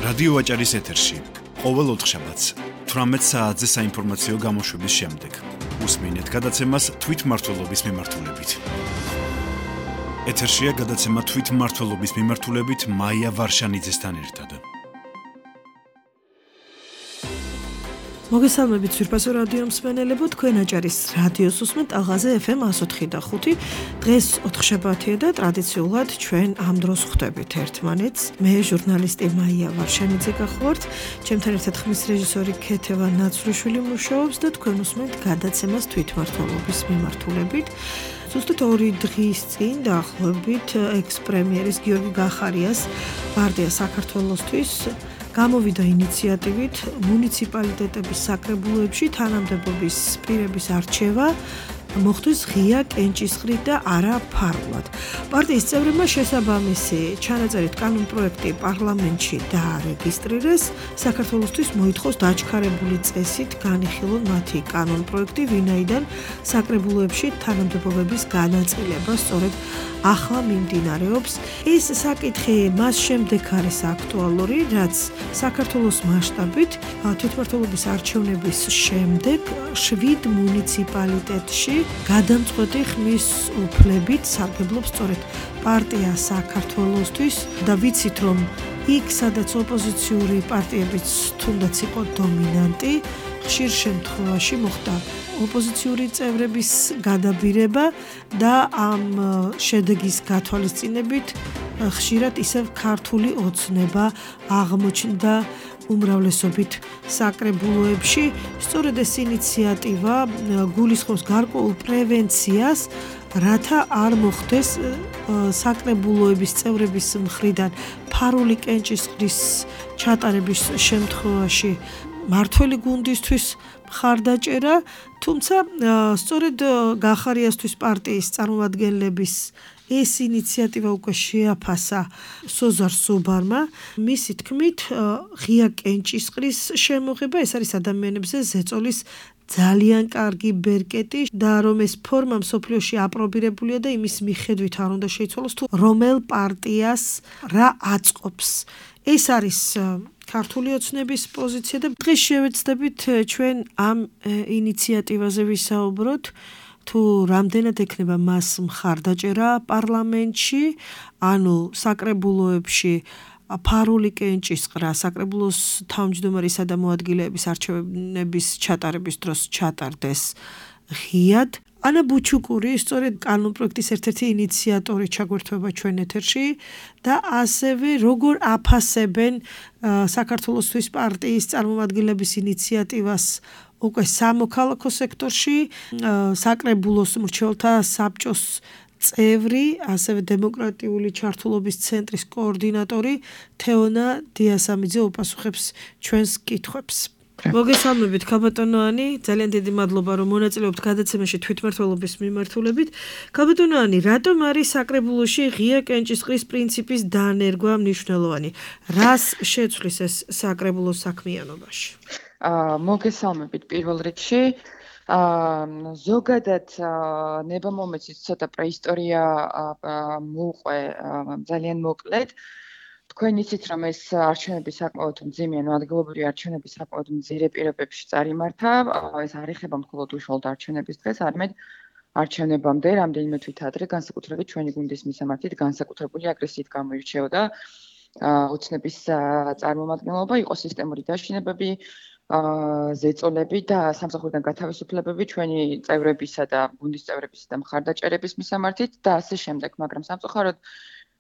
რადიო ვაჭარის ეთერში ყოველ ოთხშაბათს 18 საათზე საინფორმაციო გამოშვების შემდეგ უსმინეთ გადაცემას თვითმმართველობის მიმართულებით. ეთერშია გადაცემა თვითმმართველობის მიმართულებით მაია ვარშანიძესთან ერთად. მოგესალმებით ძვირფასო რადიო მსმენელებო, თქვენ აჭარის რადიოს უსმენთ ალღაზე FM 104.5. დღეს ოთხშაბათია და ტრადიციულად ჩვენ ამ დროს ხვდებით ერთმანეთს. მე ჟურნალისტი მაია ვარშანიძე გახლავართ, ჩემთან ერთად ხმის რეჟისორი ქეთევა ნაცვლიშვილი მუშაობს და თქვენ უსმენთ გადაცემას თვითმმართველობის მიმართულებით. ზუსტად 2 დღის წინ დაახლოებით ექს-პრემიერის გიორგი გახარიას პარტია საქართველოსთვის გამოვიდა ინიციატივით მუნიციპალიტეტების საკრებულოებში თანამდებობის პირების არჩევა მოხდეს ღია კენჭისყრით და არა ფარულად. პარტიის წევრებმა შესაბამისი ჩანაწერით კანონპროექტი პარლამენტში დაარეგისტრირეს. საქართველოსთვის მოითხოვს დაჩქარებული წესით განიხილონ მათი კანონპროექტი, ვინაიდან საკრებულოებში თანამდებობების განაწილება სწორედ ახლა მიმდინარეობს. ეს საკითხი მას შემდეგ არის აქტუალური, რაც საქართველოს მასშტაბით თვითმმართველობის არჩევნების შემდეგ 7 მუნიციპალიტეტში გადამწყვეტი ხმის უფლებით სარგებლობს სწორედ პარტია საქართველოსთვის და ვიცით რომ იქ სადაც ოპოზიციური პარტიებიც თუნდაც იყო დომინანტი, ხშირ შემთხვევაში მოხდა ოპოზიციური წევრების გადაბირება და ამ შედეგის გათვალისწინებით ხშირად ისევ ქართული ოცნება აღმოჩნდა უმრავლესობით საკრებულოებში. სწორედ ეს ინიციატივა გულისხმობს გარკვეულ პრევენციას, რათა არ მოხდეს საკრებულოების წევრების მხრიდან ფარული კენჭისყრის ჩატარების შემთხვევაში მართველი გუნდისთვის მხარდაჭერა, თუმცა სწორედ გახარიასთვის პარტიის წარმომადგენლების ეს ინიციატივა უკვე შეაფასა სოზარ სუბარმა. მისი თქმით, ღია კენჭისყრის შემოღება ეს არის ადამიანებზე ზეწოლის ძალიან კარგი ბერკეტი და რომ ეს ფორმა მსოფლიოში აპრობირებულია და იმის მიხედვით არ უნდა შეიცვალოს თუ რომელ პარტიას რა აწყობს. ეს არის ქართული ოცნების პოზიცია და დღეს შევეცდებით ჩვენ ამ ინიციატივაზე ვისაუბროთ, თუ რამდენად ექნება მას მხარდაჭერა პარლამენტში, ანუ საკრებულოებში ფარული კენჭისყრა საკრებულოს თავმჯდომარისა და მოადგილეების არჩევნების ჩატარების დროს ჩატარდეს ღიად. ანა ბუჩუკური სწორედ კანონპროექტის ერთ-ერთი ინიციატორი ჩაგვერთვება ჩვენ ეთერში და ასევე როგორ აფასებენ საქართველოსთვის პარტიის წარმომადგენლების ინიციატივას უკვე სამოქალაქო სექტორში, საკრებულოს მრჩეველთა საბჭოს წევრი, ასევე დემოკრატიული ჩართულობის ცენტრის კოორდინატორი თეონა დიასამიძე უპასუხებს ჩვენს კითხვებს. მოგესალმებით ქალბატონოანი, ძალიან დიდი მადლობა რომ მონაწილეობთ გადაცემაში თვითმმართველობის მიმართულებით. ქალბატონოანი, რატომ არის საკრებულოში ღია კენჭისყრის პრინციპის დანერგვა მნიშვნელოვანი? რას შეცვლის ეს საკრებულოს საქმიანობაში? მოგესალმებით პირველ რიგში. ზოგადად ნებამომეცის ცოტა პრეისტორია მოუყვე ძალიან მოკლედ. თქვენ იცით რომ ეს არჩევნები საკმაოდ მძიმე, ადგილობრივი არჩევნები საკმაოდ მძიმე პირობებში წარიმართა. ეს არ ეხება მხოლოდ უშუალოდ არჩევნების დღეს, არამედ არჩევნებამდე რამდენიმე თვით ადრე განსაკუთრებით ჩვენი გუნდის მისამართით განსაკუთრებული აგრესიით გამოირჩეოდა ოცნების წარმომადგენლობა, იყო სისტემური დაშინებები, ზეწოლები და სამსახურიდან გათავისუფლებები ჩვენი წევრებისა და გუნდის წევრებისა და მხარდაჭერების მისამართით და ასე შემდეგ, მაგრამ სამწუხაროდ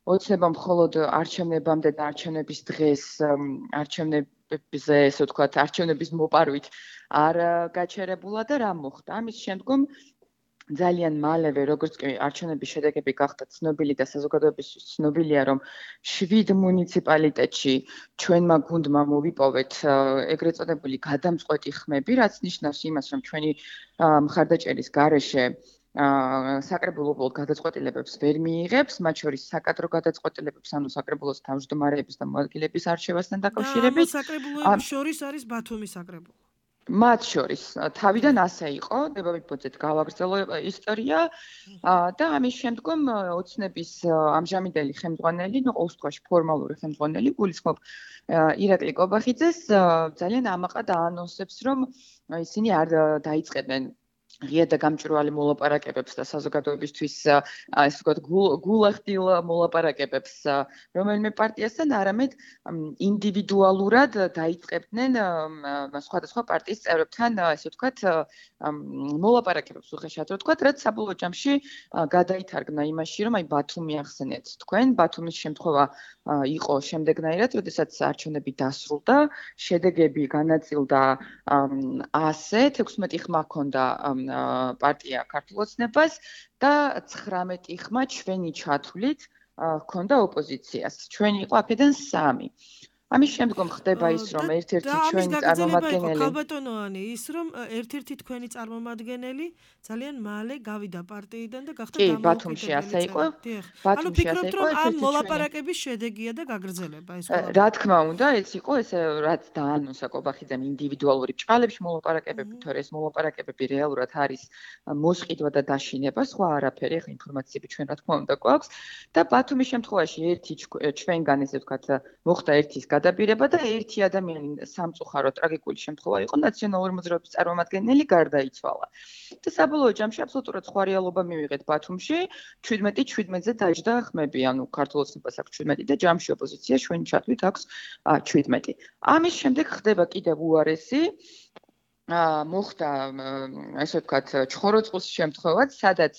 ოცნება მხოლოდ არჩევნებამდე და არჩევნების დღეს არჩევნებზე, ესე ვთქვათ, არჩევნების მოპარვით არ გაჩერებულა და რა მოხდა? ამის შემდგომ ძალიან მალევე, როგორც კი არჩევნების შედეგები გახდა ცნობილი და საზოგადოებისთვის ცნობილია, რომ 7 მუნიციპალიტეტში ჩვენმა გუნდმა მოვიპოვეთ ეგრეთ წოდებული გადამწყვეტი ხმები, რაც ნიშნავს იმას, რომ ჩვენი მხარდაჭერის გარეშე საკრებულო უბრალოდ გადაწყვეტილებებს ვერ მიიღებს, მათ შორის საკადრო გადაწყვეტილებებს, ანუ საკრებულოს თავმჯდომარეების და მოადგილეების არჩევასთან დაკავშირებით. საკრებულოების შორის არის ბათუმის საკრებულო. მათ შორის თავიდან ასე იყო, დებავით გავაგრძელო ისტორია და ამის შემდგომ ოცნების ამჟამინდელი ხელმძღვანელი, ყოველ შემთხვევაში ფორმალური ხელმძღვანელი გულისხმობ ირაკლი კობახიძეს ძალიან ამაყად აანონსებს, რომ ისინი არ დაიწყებენ ღია და გამჭვირვალე მოლაპარაკებებს და საზოგადოებისთვის ასე ვთქვათ გულახდილ მოლაპარაკებებს რომელიმე პარტიასთან, არამედ ინდივიდუალურად დაიწყებდნენ სხვადასხვა პარტიის წევრებთან, ასე ვთქვათ, მოლაპარაკებებს უხეშად რო ვთქვათ, რაც საბოლოო ჯამში გადაითარგმნა იმაში, რომ აი ბათუმი ახსენეთ თქვენ, ბათუმის შემთხვევა იყო შემდეგნაირად, როდესაც არჩევნები დასრულდა, შედეგები განაწილდა ასე 16 ხმა ჰქონდა პარტია ქართულ ოცნებას და 19 ხმა ჩვენი ჩათვლით ჰქონდა ოპოზიციას. ჩვენი იყო აქედან 3. ამის შემდგომ ხდება ის, რომ ერთ-ერთი ჩვენი წარმომადგენელი ქალბატონოანი ის, რომ ერთ-ერთი თქვენი წარმომადგენელი ძალიან მალე გავიდა პარტიიდან და გახდა კი, ბათუმში ასე იყო. ანუ ფიქრობთ, რომ ამ მოლაპარაკების შედეგია და გაგრძელება ეს ყველაფერი. რა თქმა უნდა, ეს იყო ესე რაც დაანონსა კობახიძემ ინდივიდუალური ჭალებში მოლაპარაკებები, თორე ეს მოლაპარაკებები რეალურად არის მოსყიდვა და დაშინება, სხვა არაფერი, ახლა ინფორმაციები ჩვენ რა თქმა უნდა გვაქვს და ბათუმის შემთხვევაში ერთი ჩვენგან ესე ვთქვათ მოხდა ერთის გადაბირება და ერთი ადამიანი სამწუხარო ტრაგიკული შემთხვევა იყო, ნაციონალური მოძრაობის წარმომადგენელი გარდაიცვალა. და საბოლოო ჯამში აბსოლუტურად სხვა რეალობა მივიღეთ ბათუმში, 17-17-ზე დაჯდა ხმები, ანუ ქართულ ოცნებას აქვს 17 და ჯამში ოპოზიცია ჩვენი ჩათვლით აქვს 17. ამის შემდეგ ხდება კიდევ უარესი მოხდა ასე ვთქვათ ჩხოროწყუს შემთხვევაც, სადაც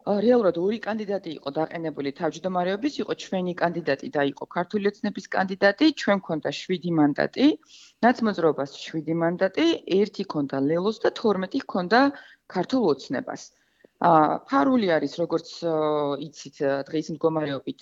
რეალურად ორი კანდიდატი იყო დაყენებული თავმჯდომარეობის, იყო ჩვენი კანდიდატი და იყო ქართული ოცნების კანდიდატი, ჩვენ გვქონდა 7 მანდატი, ნაცმოძრაობას 7 მანდატი, 1 ჰქონდა ლელოს და 12 ჰქონდა ქართულ ოცნებას. ფარული არის, როგორც იცით, დღის მდგომარეობით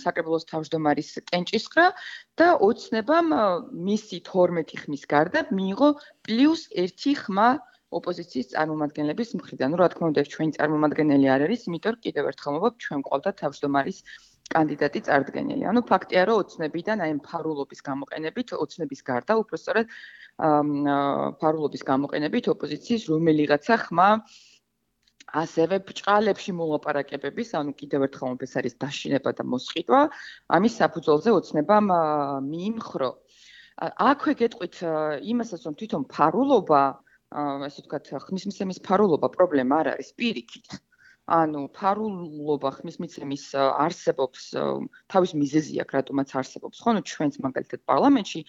საკრებულოს თავმჯდომარის კენჭისყრა და ოცნებამ მისი 12 ხმის გარდა მიიღო პლუს 1 ხმა ოპოზიციის წარმომადგენლების მხრიდან. რა თქმა უნდა, ჩვენი წარმომადგენელი არ არის, იმიტომ რომ კიდევ ერთხელ მოვაბ, ჩვენ გვყავდა თავმჯდომარის კანდიდატი წარდგენილი. ანუ ფაქტია, რომ ოცნებიდან აი ფარულობის გამოყენებით, ოცნების გარდა, უბრალოდ ფარულობის გამოყენებით ოპოზიციის რომელიღაცა ხმა ასევე ბრჭყალებში მოლაპარაკებების, ანუ კიდევ ერთხელ ეს არის დაშინება და მოსყიდვა, ამის საფუძველზე ოცნებამ მიიმხრო. აქვე გეტყვით იმასაც, რომ თვითონ ფარულობა ასე ვთქვათ, ხმისმიცემის ფარულობა პრობლემა არ არის, პირიქით. ანუ ფარულობა ხმისმიცემის არსებობს, თავის მიზეზი აქვს, რატომაც არსებობს. ხო, ჩვენც მაგალითად პარლამენტში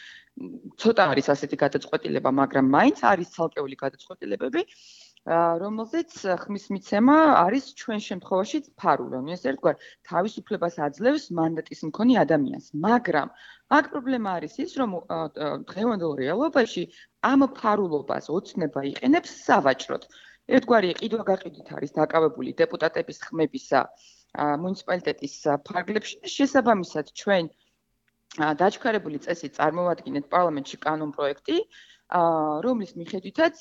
ცოტა არის ასეთი გადაწყვეტილება, მაგრამ მაინც არის ცალკეული გადაწყვეტილებები, რომელზეც ხმისმიცემა არის ჩვენ შემთხვევაში ფარული. ანუ ეს ერთგვარ თავისუფლებას აძლევს მანდატის მქონე ადამიანს. მაგრამ აქ პრობლემა არის ის, რომ დღევანდელ რეალობაში ამ ფარულობას ოცნება იყენებს სავაჭროდ. ერთგვარი ყიდვა-გაყიდვით არის დაკავებული დეპუტატების ხმებისა მუნიციპალიტეტის ფარგლებში და შესაბამისად ჩვენ დაჩქარებული წესით წარმოვადგინეთ პარლამენტში კანონპროექტი, რომლის მიხედვითაც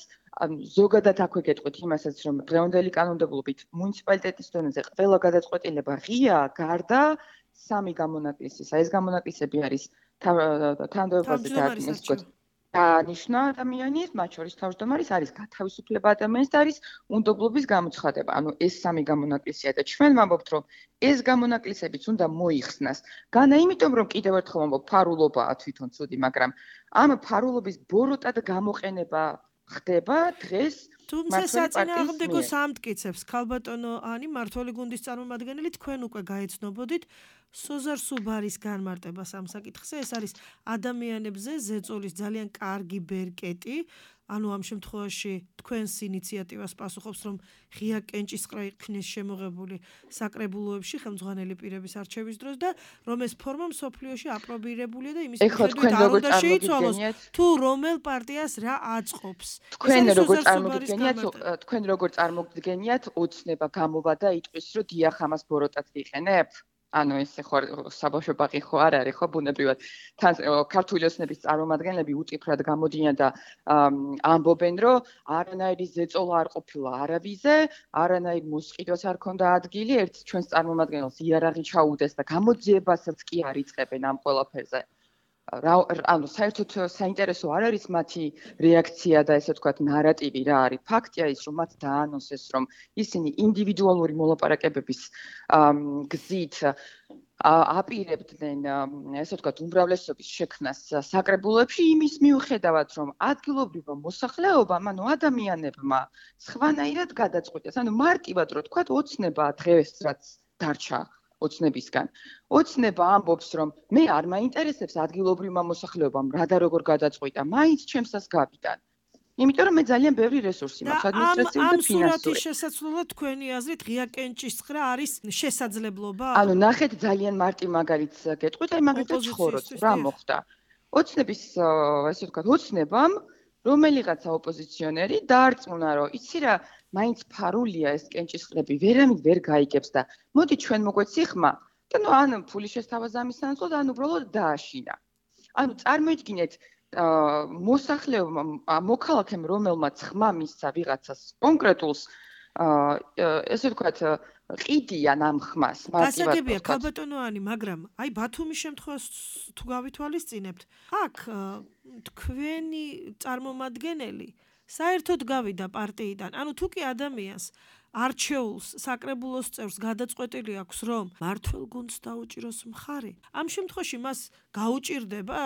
ზოგადად აქვე გეტყვით იმასაც, რომ დღევანდელი კანონმდებლობით მუნიციპალიტეტის დონეზე ყველა გადაწყვეტილება ღია, გარდა 3 გამონაკლისისა. ეს გამონაკლისები არის თანამდებობაზე დანიშნა ადამიანის, მათ შორის თავმჯდომარის, არის გათავისუფლება ადამიანის და არის უნდობლობის გამოცხადება. ანუ ეს 3 გამონაკლისია და ჩვენ ვამბობთ, რომ ეს გამონაკლისებიც უნდა მოიხსნას. განა იმიტომ, რომ კიდევ ერთხელ ვამბობ, ფარულობაა თვითონ ცუდი, მაგრამ ამ ფარულობის ბოროტად გამოყენება ხდება დღეს თუმცა საწინააღმდეგო სამტკიცებს ქალბატონო ანი მმართველი გუნდის წარმომადგენელი თქვენ უკვე გაეცნობოდით სოზარ სუბარის განმარტებას ამ საკითხზე. ეს არის ადამიანებზე ზეწოლის ძალიან კარგი ბერკეტი. ანუ ამ შემთხვევაში თქვენს ინიციატივას პასუხობს, რომ ღია კენჭისყრა იქნეს შემოღებული საკრებულოებში ხელმძღვანელი პირების არჩევის დროს და რომ ეს ფორმა მსოფლიოში აპრობირებულია და იმის მიხედვით არ უნდა შეიცვალოს თუ რომელ პარტიას რა აწყობს. თქვენ როგორ წარმოგდგენიათ ოცნება გამოვა და იტყვის, რომ დიახ ამას ბოროტად ვიყენებ? ანუ ეს ხო საბავშვო ბაღი ხო არ არის, ხო ბუნებრივად. თან ქართული ოცნების წარმომადგენლები უწიფრად გამოდიან და ამბობენ, რომ არანაირი ზეწოლა არ ყოფილა არავიზე, არანაირი მოსყიდვაც არ ქონდა ადგილი, ერთ ჩვენს წარმომადგენელს იარაღი ჩაუდეს და გამოძიებასაც კი არ იწყებენ ამ ყველაფერზე. ანუ საერთოდ საინტერესო არ არის მათი რეაქცია და ესე ვთქვათ ნარატივი რა არის. ფაქტია ის, რომ მათ დაანონსეს, რომ ისინი ინდივიდუალური მოლაპარაკებების გზით აპირებდნენ ესე ვთქვათ უმრავლესობის შექმნას საკრებულოებში იმის მიუხედავად, რომ ადგილობრივმა მოსახლეობამ, ანუ ადამიანებმა სხვანაირად გადაწყვიტეს. ანუ მარტივად რო ვთქვათ, ოცნება დღეს რაც დარჩა ოცნებისგან. ოცნება ამბობს, რომ მე არ მაინტერესებს ადგილობრივმა მოსახლეობამ რა და როგორ გადაწყვიტა, მაინც ჩემსას გავიდან. იმიტომ რომ მე ძალიან ბევრი რესურსი მაქვს, ადმინისტრაციული და ფინანსური. ამ სურათის შესაძლებლად თქვენი აზრით ღია კენჭისყრა არის შესაძლებლობა? ანუ ნახეთ ძალიან მარტივ მაგალითს გეტყვით, აი მაგალითად ცხოვრობ, რა მოხდა. ოცნების ესე ვთქვათ, ოცნებამ რომელიღაცა ოპოზიციონერი დაარწმუნა, რომ იცი რა, მაინც ფარულია ეს კენჭისყრები, ვერამით ვერ გაიგებს და მოდი ჩვენ მოგვეცი ხმა და ნუ ან ფული შესთავაზამის სანაცვლოდ, ან უბრალოდ დააშინა. ანუ წარმოიდგინეთ მოსახლეობამ, მოქალაქემ, რომელმაც ხმა მისცა ვიღაცას კონკრეტულს, ესე ვთქვათ, ყიდიან ამ ხმას, მარტივად. გასაგებია, ქალბატონოანი, მაგრამ აი ბათუმის შემთხვევას თუ გავითვალისწინებთ, აქ თქვენი წარმომადგენელი საერთოდ გავიდა პარტიიდან. ანუ თუ კი ადამიანს არჩეულს საკრებულოს წევრს გადაწყვეტილი აქვს, რომ მართლ გუნდს დაუჭიროს მხარი, ამ შემთხვევაში მას გაუჭირდება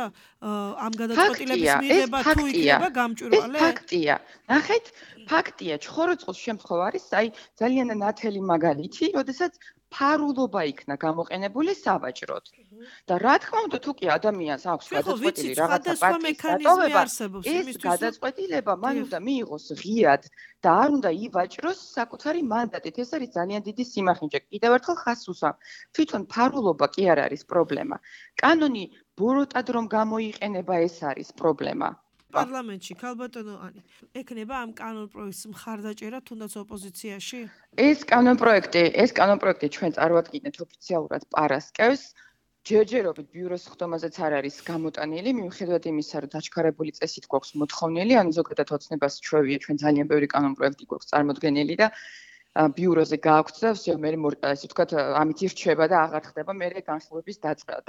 ამ გადაწყვეტილების მიღება თუ იქნება გამჭვირვალე? ეს ფაქტია. ნახეთ, ფაქტია, ჩხოროწყუს შემთხვევა არის, აი ძალიან ნათელი მაგალითი, როდესაც ფარულობა იქნა გამოყენებული სავაჭროდ. და რა თქმა უნდა, თუ კი ადამიანს აქვს გადაწყვეტილი რაღაცა პარტიის დატოვება, ეს გადაწყვეტილება მან უნდა მიიღოს ღიად და არ უნდა ივაჭროს საკუთარი მანდატით. ეს არის ძალიან დიდი სიმახინჯე. კიდევ ერთხელ ხაზს უსვამ. თვითონ ფარულობა კი არ არის პრობლემა. კანონი ბოროტად რომ გამოიყენება, ეს არის პრობლემა. პარლამენტში ქალბატონოანი ექნება ამ კანონპროექტს მხარდაჭერა თუნდაც ოპოზიციაში? ეს კანონპროექტი ჩვენ წარვადგინეთ ოფიციალურად პარასკევს. ჯერჯერობით ბიუროს ხდომაზეც არ არის გამოტანილი, მიუხედავად იმისა, რომ დაჩქარებული წესით გვაქვს მოთხოვნილი, ანუ ზოგადად ოცნებას ჩვევია, ჩვენ ძალიან ბევრი კანონპროექტი გვაქვს წარმოდგენილი და ბიუროზე გააქვთ და всё მე ესე ვთქვათ, ამით ირჩება და აღარ ხდება მე განხილვების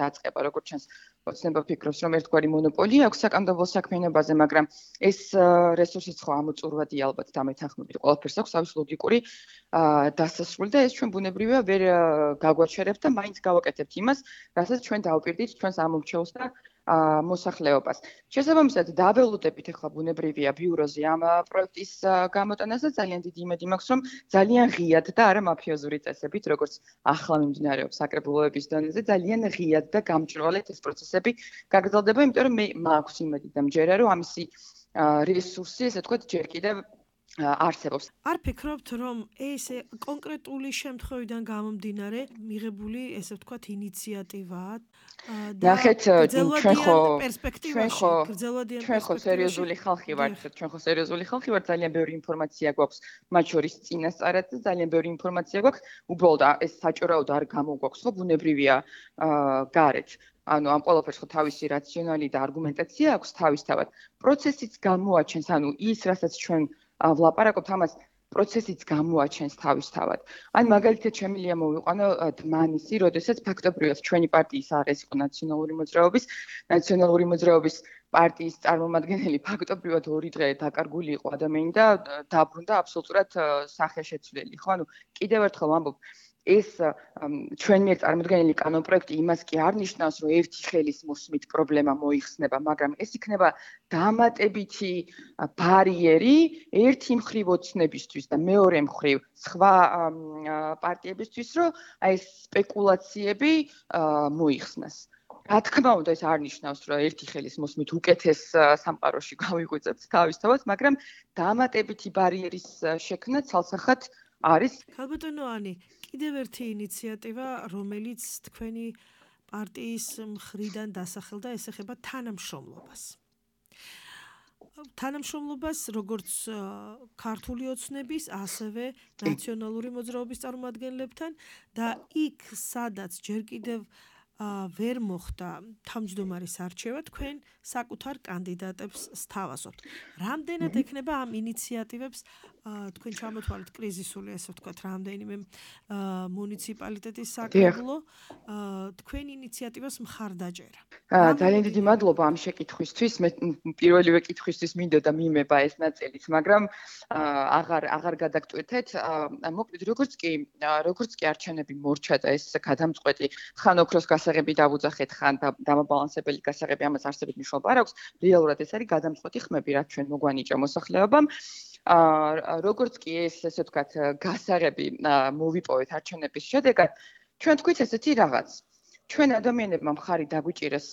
დაწყება, როგორც ჩანს. ოცნება ფიქრობს, რომ ერთგვარი მონოპოლია აქვს საკანონმდებლო საქმიანობაზე, მაგრამ ეს რესურსიც ხო ამოწურვადია ალბათ დამეთანხმებით. ყველაფერს აქვს თავის ლოგიკური დასასრული და ეს ჩვენ ბუნებრივია ვერ გაგვაჩერებთ და მაინც გავაკეთებთ იმას, რასაც ჩვენ დავპირდით ჩვენს ამომრჩევლს და მოსახლეობას. შესაბამისად, დაველოდებით ახლა ბუნებრივია ბიუროზე ამ პროექტის გამოტანას და ძალიან დიდი იმედი მაქვს, რომ ძალიან ღიად და არა მაფიოზური წესებით, როგორც ახლა მიმდინარეობს საკრებულოების დონეზე, ძალიან ღიად და გამჭვირვალედ ეს პროცესები გაგრძელდება, იმიტომ რომ მე მაქვს იმედი და მჯერა, რომ ამისი რესურსი, ესე ვთქვათ, ჯერ კიდევ არსებობს. არ ფიქრობთ, რომ ეს კონკრეტული შემთხვევიდან გამომდინარე მიღებული, ესე ვთქვათ, ინიციატივაა და ჩვენ ხო სერიოზული ხალხი ვართ, ძალიან ბევრი ინფორმაცია გვაქვს, მათ შორის წინასწარად და ძალიან ბევრი ინფორმაცია გვაქვს, უბრალოდ ეს საჭიროოდ არ გამოგვაქვს, ხო, ბუნებრივია გარეთ. ანუ ამ ყველაფერს ხო თავისი რაციონალი და არგუმენტაცია აქვს თავისთავად. პროცესიც გამოაჩენს, ანუ ის, რასაც ჩვენ ვლაპარაკობთ, ამას პროცესიც გამოაჩენს თავისთავად. ან მაგალითად შემიძლია მოვიყვანო დმანისი, როდესაც ფაქტობრივად ჩვენი პარტიის აღეს იყო ნაციონალური მოძრაობის პარტიის წარმომადგენელი ფაქტობრივად 2 დღე დაკარგული იყო ადამიანი და დაბრუნდა აბსოლუტურად სახეშეცვლილი. ხო, ანუ კიდევ ერთხელ ვამბობ, ეს ჩვენ მიერ წარმოდგენილი კანონპროექტი იმას კი არ ნიშნავს, რომ ერთი ხელის მოსმით პრობლემა მოიხსნება, მაგრამ ეს იქნება დამატებითი ბარიერი ერთი მხრივ ოცნებისთვის და მეორე მხრივ სხვა პარტიებისთვის, რომ აი ეს სპეკულაციები მოიხსნას. რა თქმა უნდა, ეს არ ნიშნავს, რომ ერთი ხელის მოსმით უკეთეს სამყაროში გავიღვიძებთ თავისთავად, მაგრამ დამატებითი ბარიერის შექმნა ცალსახად არის. ქალბატონოანი, კიდევ ერთი ინიციატივა, რომელიც თქვენი პარტიის მხრიდან დასახელდა, ეს ეხება თანამშრომლობას. თანამშრომლობას როგორც ქართული ოცნების, ასევე ნაციონალური მოძრაობის წარმომადგენლებთან და იქ, სადაც ჯერ კიდევ ვერ მოხდა თავმჯდომარის არჩევა, თქვენ საკუთარ კანდიდატებს სთავაზობთ. რამდენად ექნება ამ ინიციატივებს თქვენ ჩამოთვალეთ კრიზისული, ესე ვთქვათ, რამდენიმე მუნიციპალიტეტის საკრებულო თქვენ ინიციატივას მხარდაჭერა? ძალიან დიდი მადლობა ამ შეკითხვისთვის. მე პირველივე კითხვისთვის მინდოდა მიმება ეს ნაწილიც, მაგრამ აღარ გადაგტვირთეთ. მოკლედ როგორც კი არჩევნები მორჩა და ეს გადამწყვეტი ხან ოქროს გასაღები დავუძახეთ, ხან დამაბალანსებელი გასაღები, ამას არსებით მნიშვნელობა არ აქვს. რეალურად ეს არის გადამწყვეტი ხმები, რაც ჩვენ მოგვანიჭა მოსახლეობამ. როგორც კი ესე ვთქვათ, გასაღები მოვიპოვეთ არჩევნების შედეგად, ჩვენ თქვით ესეთი რაღაც. ჩვენ ადამიანებმა მხარი დაგვიჭირეს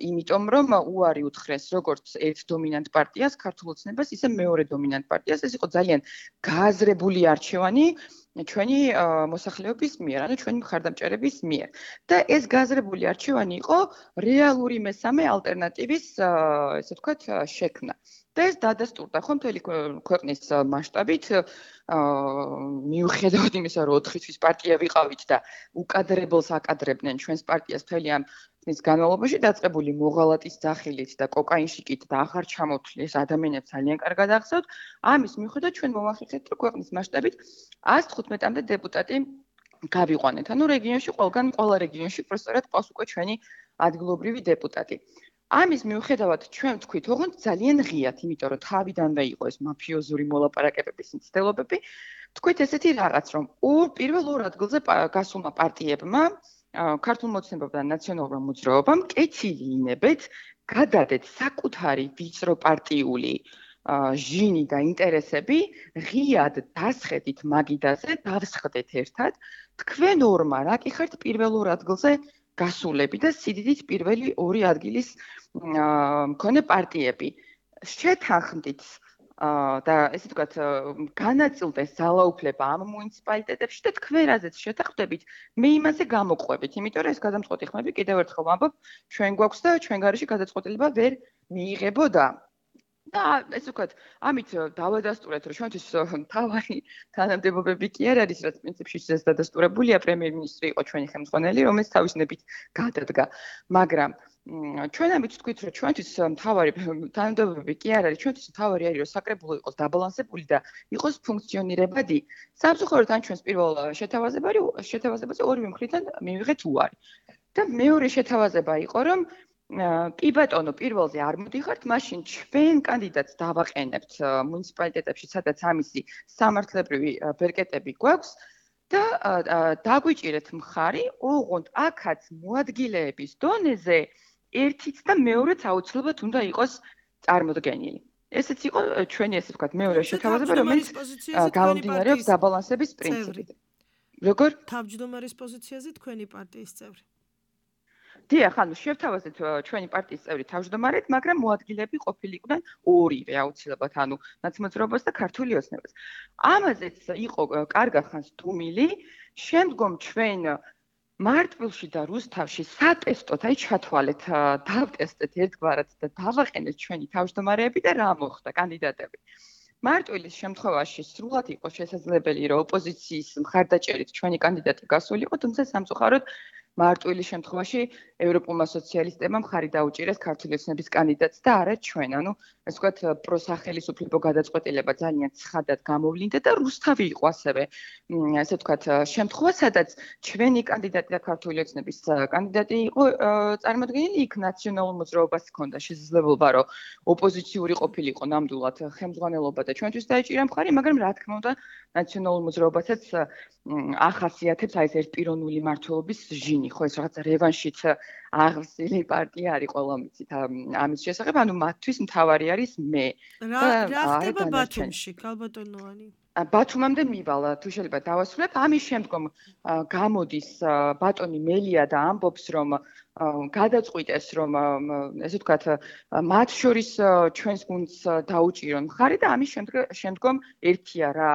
იმიტომ, რომ უარი უთხრეს როგორც ერთ დომინანტ პარტიას, ქართულ ოცნებას, ისე მეორე დომინანტ პარტიას. ეს იყო ძალიან გააზრებული არჩევანი ჩვენი მოსახლეობის მიერ, ანუ ჩვენი მხარდამჭერების მიერ. და ეს გააზრებული არჩევანი იყო რეალური მესამე ალტერნატივის, ესე ვთქვათ, შექმნა. და ეს დადასტურდა ხო მთელი ქვეყნის მასშტაბით, მიუხედავად იმისა, რომ 4 თვის პარტია ვიყავით და უკადრებელს აკადრებდნენ ჩვენს პარტიას მთელი ამ წლის განმავლობაში, დაწყებული მოღალატის ძახილით და კოკაინშიკით და აღარ ჩამოთვლეს ადამიანებს ძალიან კარგად ახსოვთ. ამის მიუხედავად ჩვენ მოვახერხეთ, რომ ქვეყნის მასშტაბით 115-მდე დეპუტატი გავიყვანეთ. ანუ რეგიონში ყველა რეგიონში პროსტორად ყავს უკვე ჩვენი ადგილობრივი დეპუტატი. ამის მიუხედავად ჩვენ ვთქვით, ოღონდ ძალიან ღიათ, იმიტომ რომ თავიდანვე იყო ეს მაფიოზური მოლაპარაკებების მცდელობები. ვთქვით ესეთი რაღაც, რომ პირველ ორ ადგილზე გასულმა პარტიებმა, ქართულ მოცნებამ და ნაციონალურმა მოძრაობამ კეთილი ინებეთ გადადეთ საკუთარი ვიწრო პარტიული ჟინი და ინტერესები ღიად დასხედით მაგიდაზე, დავსხდეთ ერთად, თქვენ ორმა რა კი ხართ პირველ ორ ადგილზე გასულები და სიდიდით პირველი ორი ადგილის მქონე პარტიები. შეთანხმდით და ესე ვთქვათ, განაწილდეს ძალაუფლება ამ მუნიციპალიტეტებში და თქვენ რაზეც შეთანხმდებით, მე იმაზე გამოყვებით, იმიტომ რომ ეს გადამწყვეტი ხმები კიდევ ერთხელ ვამბობ, ჩვენ გვაქვს და ჩვენ გარეშე გადაწყვეტილება ვერ მიიღებოდა. და ესე ვთქვათ, ამით დავადასტურეთ, რომ ჩვენთვის თავარი თანამდებობები კი არ არის, რაც პრინციპში ეს დადასტურებულია, პრემიერ-მინისტრი იყო ჩვენი ხელმძღვანელი, რომელიც თავის ნებით გადადგა. მაგრამ ჩვენ ამით ვთქვით, რომ ჩვენთვის თავარი თანამდებობები კი არ არის, ჩვენთვის თავარი არის, რომ საკრებულო იყოს დაბალანსებული და იყოს ფუნქციონირებადი. სამწუხაროდ ან ჩვენს პირველ შეთავაზებაზე ორივე მხრიდან მივიღეთ უარი. და მეორე შეთავაზება იყო, რომ კი ბატონო, პირველზე არ მოდიხართ, მაშინ ჩვენ კანდიდატს დავაყენებთ მუნიციპალიტეტებში, სადაც ამისი სამართლებრივი ბერკეტები გვაქვს და დაგვიჭირეთ მხარი, ოღონდ აქაც მოადგილეების დონეზე ერთიც და მეორეც აუცილებლად უნდა იყოს წარმოდგენილი. ესეც იყო ჩვენი, ესე ვთქვათ, მეორე შეთავაზება, რომელიც გამომდინარეობს დაბალანსების პრინციპით. როგორ? თავმჯდომარის პოზიციაზე თქვენი პარტიის წევრი. დიახ, ანუ შევთავაზეთ ჩვენი პარტიის წევრი თავმჯდომარედ, მაგრამ მოადგილეები ყოფილიყვნენ ორივე აუცილებლად, ანუ ნაცმოძრაობას და ქართული ოცნებას. ამაზეც იყო კარგა ხანს დუმილი, შემდგომ ჩვენ მარტვილში და რუსთავში სატესტოდ ჩათვალეთ, დავტესტეთ ერთგვარად და დავაყენეთ ჩვენი თავმჯდომარეები და რა მოხდა კანდიდატები. მარტვილის შემთხვევაში სრულად იყო შესაძლებელი, რომ ოპოზიციის მხარდაჭერით ჩვენი კანდიდატი გასულიყო, თუმცა სამწუხაროდ მარტვილის შემთხვევაში ევროპულმა სოციალისტებმა მხარი დაუჭირეს ქართული ოცნების კანდიდატს და არა ჩვენ. ანუ ასე ვთქვათ, პროსახელისუფლებო გადაწყვეტილება ძალიან ცხადად გამოვლინდა და რუსთავი იყო ასევე, ასე ვთქვათ, შემთხვევა, სადაც ჩვენი კანდიდატი და ქართული ოცნების კანდიდატი იყო წარმოდგენილი, იქ ნაციონალურ მოძრაობას ჰქონდა შესაძლებლობა, რომ ოპოზიციური ყოფილიყო ნამდვილად ხელმძღვანელობა და ჩვენთვის დაეჭირა მხარი, მაგრამ რა თქმა უნდა, ნაციონალურ მოძრაობასაც ახასიათებს აი ეს ერთპიროვნული მმართველობის ჟინი, ხო ეს რაღაც რევანშით აღსილი პარტია არის ყველა მიცით ამის შესახებ, ანუ მათთვის მთავარი არის მე. რა ხდება ბათუმში, ქალბატონოვანი? ბათუმამდე მივალ, თუ შეიძლება დავასრულებ. ამის შემდგომ გამოდის ბატონი მელია და ამბობს, რომ გადაწყვიტეს, რომ ესე ვთქვათ, მათ შორის ჩვენს გუნდს დაუჭირონ მხარი და ამის შემდგომ ერთია რა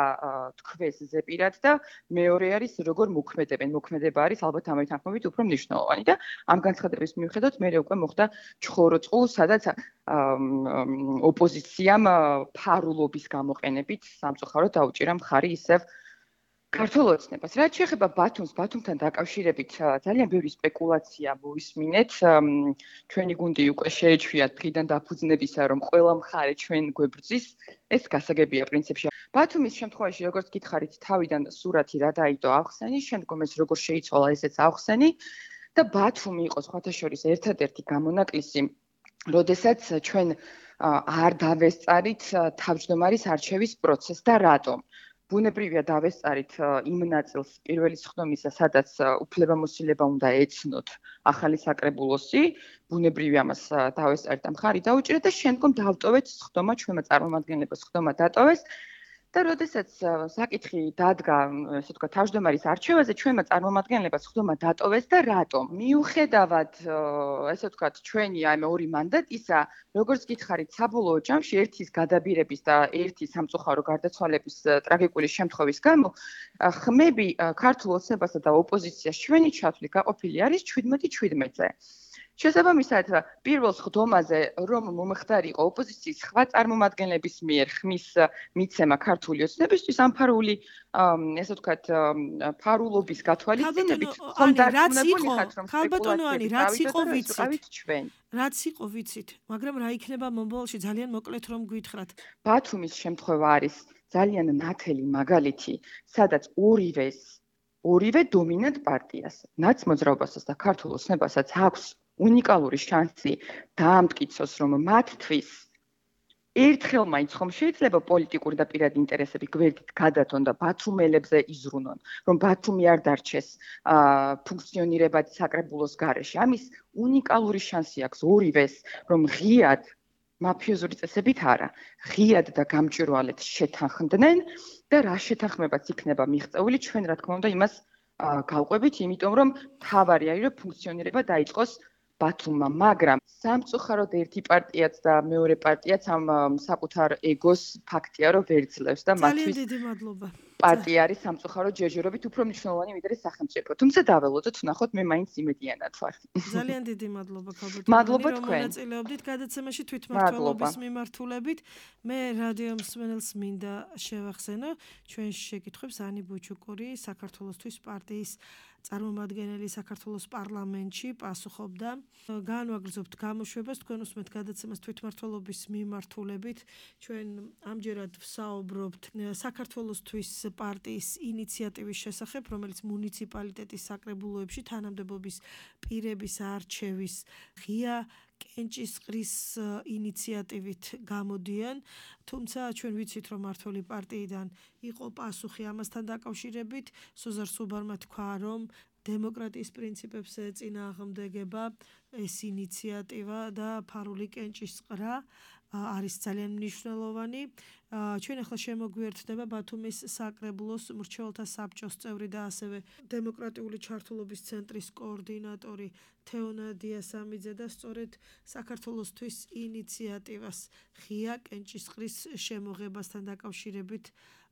თქვეს ზეპირად და მეორე არის როგორ მოქმედებენ. მოქმედება არის ალბათ ამით თანხმობით უფრო მნიშვნელოვანი და ამ განცხადების მიუხედავად მე უკვე მოხდა ჩხოროწყუ, სადაც ოპოზიციამ ფარულობის გამოყენებით სამწუხაროდ დაუჭირა მხარი ისევ ქართულ ოცნებას. რაც შეეხება ბათუმთან დაკავშირებით ძალიან ბევრი სპეკულაცია მოვისმინეთ. ჩვენი გუნდი უკვე შეეჩვია დღიდან დაფუძნებისა, რომ ყველა მხარე ჩვენ გვებრძვის. ეს გასაგებია პრინციპში. ბათუმის შემთხვევაში, როგორც გითხარით, თავიდან სურათი რა დაიდო ახსენი, შემდგომ ეს როგორ შეიცვალა, ესეც ახსენი. და ბათუმი იყო სხვათა შორის ერთადერთი გამონაკლისი, როდესაც ჩვენ არ დავესწარით თავმჯდომარის არჩევის პროცესს და რატომ? ბუნებრივია დავესწარით იმ ნაწილს პირველი სხდომისა, სადაც უფლებამოსილება უნდა ეცნოთ ახალი საკრებულოსი, ბუნებრივია ამას დავესწარით და მხარი დაუჭირეთ და შემდგომ დავტოვეთ სხდომა, ჩვენმა წარმომადგენლებს სხდომა დატოვეს და როდესაც საკითხი დადგა, ესე ვთქვათ, თავმჯდომარის არჩევაზე, ჩვენმა წარმომადგენლებს სხდომა დატოვეს და რატომ? მიუხედავად, ესე ვთქვათ, ჩვენი აი მე ორი მანდატისა, როგორც გითხარით, საბოლოო ჯამში ერთის გადაბირების და ერთის სამწუხარო გარდაცვალების ტრაგიკული შემთხვევის გამო, ხმები ქართულ ოცნებასა და ოპოზიციას ჩვენი ჩათვლით გაყოფილი არის 17-17-ზე. შესაბამისად, პირველ სხდომაზე, რომ მომხდარიყო ოპოზიციის სხვა წარმომადგენლების მიერ ხმის მიცემა ქართული ოცნებისთვის, ამ ფარული, ესე ვთქვათ, ფარულობის გათვალისწინებით, ხომ დარწმუნებული ხართ, რომ ხალბატონოანი, რაც იყო ჩვენ. რაც იყო ვიცით, მაგრამ რა იქნება მომავალში ძალიან მოკლედ რომ გვითხრათ. ბათუმის შემთხვევა არის ძალიან ნათელი მაგალითი, სადაც ორივე დომინანტ პარტიას, ნაცმოძრაობასაც და ქართულ ოცნებასაც აქვს უნიკალური შანსი დაამტკიცოს, რომ მათთვის ერთხელ მაინც ხომ შეიძლება პოლიტიკური და პირადი ინტერესები გვერდით გადათონ და ბათუმელებზე იზრუნონ, რომ ბათუმი არ დარჩეს ფუნქციონირებადი საკრებულოს გარეშე. ამის უნიკალური შანსი აქვს ორივეს, რომ ღიად მაფიოზური წესებით არა, ღიად და გამჭვირვალედ შეთანხმდნენ და რა შეთანხმებაც იქნება მიღწეული, ჩვენ რა თქმა უნდა იმას გავყვებით, იმიტომ რომ თავარი არის, რომ ფუნქციონირება დაიწყოს ბათუმმა, მაგრამ სამწუხაროდ ერთი პარტიაც და მეორე პარტიაც ამ საკუთარ ეგოს ფაქტია, რომ ვერ ძლევს და მათთვის ძალიან დიდი მადლობა. პარტია არის სამწუხაროდ ჯერჯერობით უფრო მნიშვნელოვანი ვიდრე სახელმწიფო. თუმცა დაველოდოთ, ვნახოთ, მე მაინც იმედიანად ვარ. ძალიან დიდი მადლობა ქალბატონო. მადლობა თქვენ. მონაწილეობდით გადაცემაში თვითმმართველობის მიმართულებით. მე რადიო მსმენელს მინდა შევახსენო ჩვენ შეკითხვებს ანი ბუჩუკური საქართველოსთვის პარტიის წარმომადგენელი საქართველოს პარლამენტში პასუხობდა. განვაგრძობთ გამოშვებას თქვენ უსმენთ გადაცემას თვითმმართველობის მიმართულებით. ჩვენ ამჯერად ვსაუბრობთ საქართველოსთვის პარტიის ინიციატივის შესახებ, რომელიც მუნიციპალიტეტის საკრებულოებში თანამდებობის პირების არჩევის ღია კენჭისყრის ინიციატივით გამოდიან, თუმცა ჩვენ ვიცით, რომ მართველი პარტიიდან იყო პასუხი ამასთან დაკავშირებით. სოზარ სუბარმა თქვა, რომ დემოკრატიის პრინციპებს ეწინააღმდეგება ეს ინიციატივა და ფარული კენჭისყრა არის ძალიან მნიშვნელოვანი. ჩვენ ახლა შემოგვიერთდება ბათუმის საკრებულოს მრჩეველთა საბჭოს წევრი და ასევე დემოკრატიული ჩართულობის ცენტრის კოორდინატორი თეონა დიასამიძე და სწორედ საქართველოსთვის ინიციატივას ღია კენჭისყრის შემოღებასთან დაკავშირებით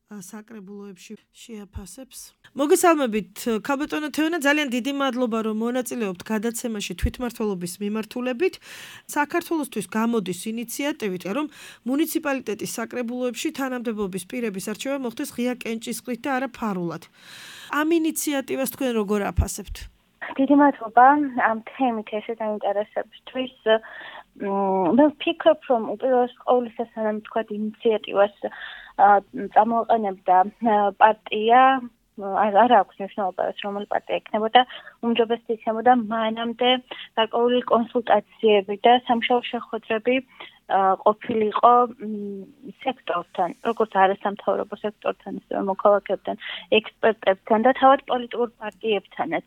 საკრებულოებში შეაფასებს. მოგესალმებით, ქალბატონო თეონა, ძალიან დიდი მადლობა, რომ მონაწილეობთ გადაცემაში თვითმმართველობის მიმართულებით. საქართველოსთვის გამოდის ინიციატივით, რომ მუნიციპალიტეტის საკრებულოებში თანამდებობის პირების არჩევა მოხდეს ღია კენჭისყრით და არა ფარულად. ამ ინიციატივას თქვენ როგორ აფასებთ? დიდი მადლობა ამ თემით ესე დაინტერესებისთვის. მე ვფიქრობ, რომ უპირველეს ყოვლისა სანამ თქვა ინიციატივას წამოაყენებდა პარტია, არ აქვს მნიშვნელობა, რომელი პარტია იქნებოდა, უმჯობესად იქნებოდა მანამდე გარკვეული კონსულტაციები და სამშაბლო შეხვედრები ყოფილიყო სექტორთან, როგორც არასამთავრობო სექტორთან, ისე მოქალაქეებთან, ექსპერტებთან და თავად პოლიტიკურ პარტიებთანაც.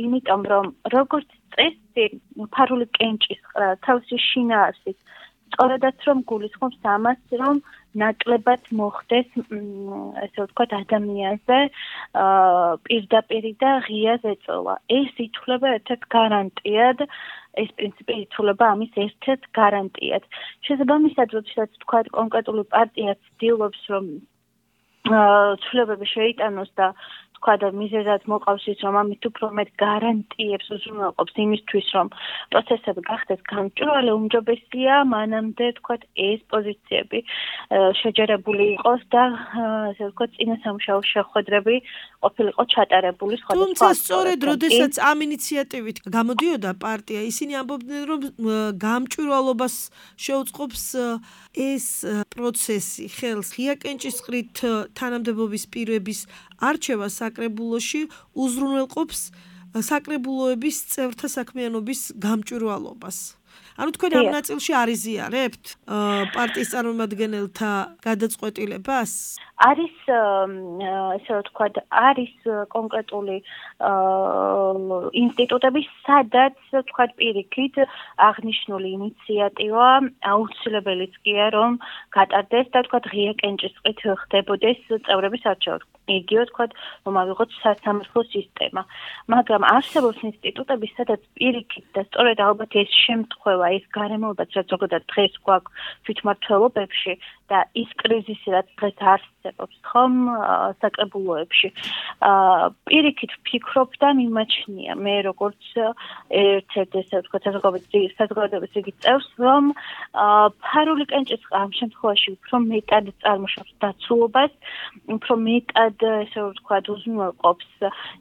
იმიტომ რომ როგორც წესი ფარული კენჭისყრა თავისი შინაარსით სწორედაც რომ გულისხმობს ამას, რომ ნაკლებად მოხდეს, ესე ვთქვათ, ადამიანზე პირდაპირი და ღია ზეწოლა. ეს ითვლება ერთ-ერთ გარანტიად, ეს პრინციპი ითვლება ამის ერთ-ერთ გარანტიად. შესაბამისად, როდესაც ვთქვათ, კონკრეტული პარტია ცდილობს, რომ ცვლილებები შეიტანოს და თქვა და მიზეზად მოყავს ის, რომ ამით უფრო მეტ გარანტიებს უზრუნველყოფს იმისთვის, რომ პროცესები გახდეს გამჭვირვალე, უმჯობესია მანამდე თქვათ ეს პოზიციები შეჯერებული იყოს და ასე ვთქვათ წინა სამუშაო შეხვედრები ყოფილიყო ჩატარებული სხვადასხვა. თუმცა სწორედ როდესაც ამ ინიციატივით გამოდიოდა პარტია, ისინი ამბობდნენ, რომ გამჭვირვალობას შეუწყობს ეს პროცესი, ხელს ღია კენჭისყრით თანამდებობის პირების არჩევა საკრებულოში უზრუნველყოფს საკრებულოების წევრთა საქმიანობის გამჭვირვალობას. ანუ თქვენ ამ ნაწილში არიზიარებთ პარტიის წარმომადგენელთა გადაწყვეტილებას? არის ესე ვთქვათ, არის კონკრეტული ინსტიტუტები, სადაც ვთქვათ პირიქით აღნიშნული ინიციატივა აუცილებელიც კი რომ გატარდეს და ვთქვათ ღია კენჭისყრით ხდებოდეს წევრების არჩევა. იგივე ვთქვათ, რომ ავიღოთ სასამართლო სისტემა. მაგრამ არსებობს ინსტიტუტები, სადაც პირიქით და სწორედ ალბათ ეს შემთხვევა, ეს გარემოებაც, რაც ზოგადად დღეს გვაქვს თვითმმართველობებში და ის კრიზისი, რაც დღეს არსებობს, ხომ საკრებულოებში. პირიქით ვფიქრობ და მიმაჩნია მე როგორც ერთ-ერთ ესე ვთქვათ საზოგადოების იგივე წევს, რომ ფარული კენჭისყრა ამ შემთხვევაში უფრო მეტად წარმოშობს დაცულობას, უფრო მეტად ესე ვთქვათ უზრუნველყოფს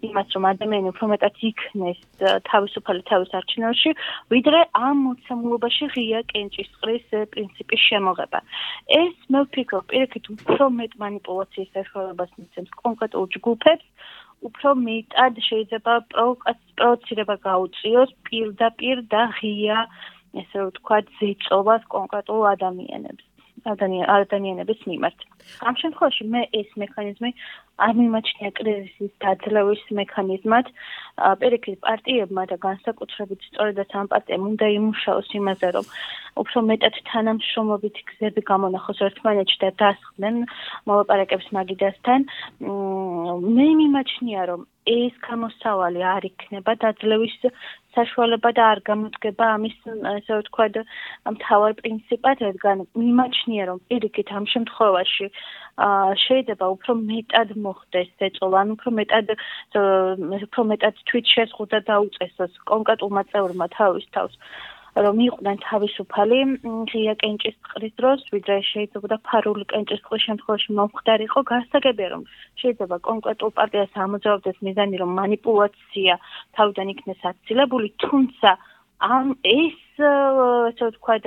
იმას, რომ ადამიანი უფრო მეტად იქნეს თავისუფალი თავის არჩევნებში, ვიდრე ამ მოცემულობაში ღია კენჭისყრის პრინციპის შემოღება. ეს მე ვფიქრობ, პირიქით უფრო მეტ მანიპულაციის საშუალებას მისცემს კონკრეტულ ჯგუფებს, უფრო მეტად შეიძლება პროვოცირება გაუწიოს პირდაპირ და ღია ესე ვთქვათ ზეწობას კონკრეტულ ადამიანების მიმართ. ამ შემთხვევაში მე ეს მექანიზმი არ მიმაჩნია კრიზისის დაძლევის მექანიზმად. პირიქით პარტიებმა და განსაკუთრებით სწორედაც ამ პარტიამ უნდა იმუშაოს იმაზე, რომ უფრო მეტად თანამშრომლობითი გზები გამონახოს ერთმანეთში და დასხდნენ მოლაპარაკებს მაგიდასთან. მე მიმაჩნია, რომ ეს გამოსავალი არ იქნება დაძლევის საშუალება და არ გამოდგება ამის ესე ვთქვათ მთავარ პრინციპად, რადგან მიმაჩნია, რომ პირიქით ამ შემთხვევაში შეიძლება უფრო მეტად მოხდეს ზეწოლა, ანუ უფრო მეტად თვითშეზღუდვა დაუწესოს კონკრეტულმა წევრმა თავის თავს, რომ იყვნენ თავისუფალი ღია კენჭისყრის დროს, ვიდრე შეიძლება ფარული კენჭისყრის შემთხვევაში მომხდარიყო. გასაგებია, რომ შეიძლება კონკრეტულ პარტიას ამოძრავდეს მიზანი, რომ მანიპულაცია თავიდან იქნეს აცილებული, თუმცა ეს ესე ვთქვათ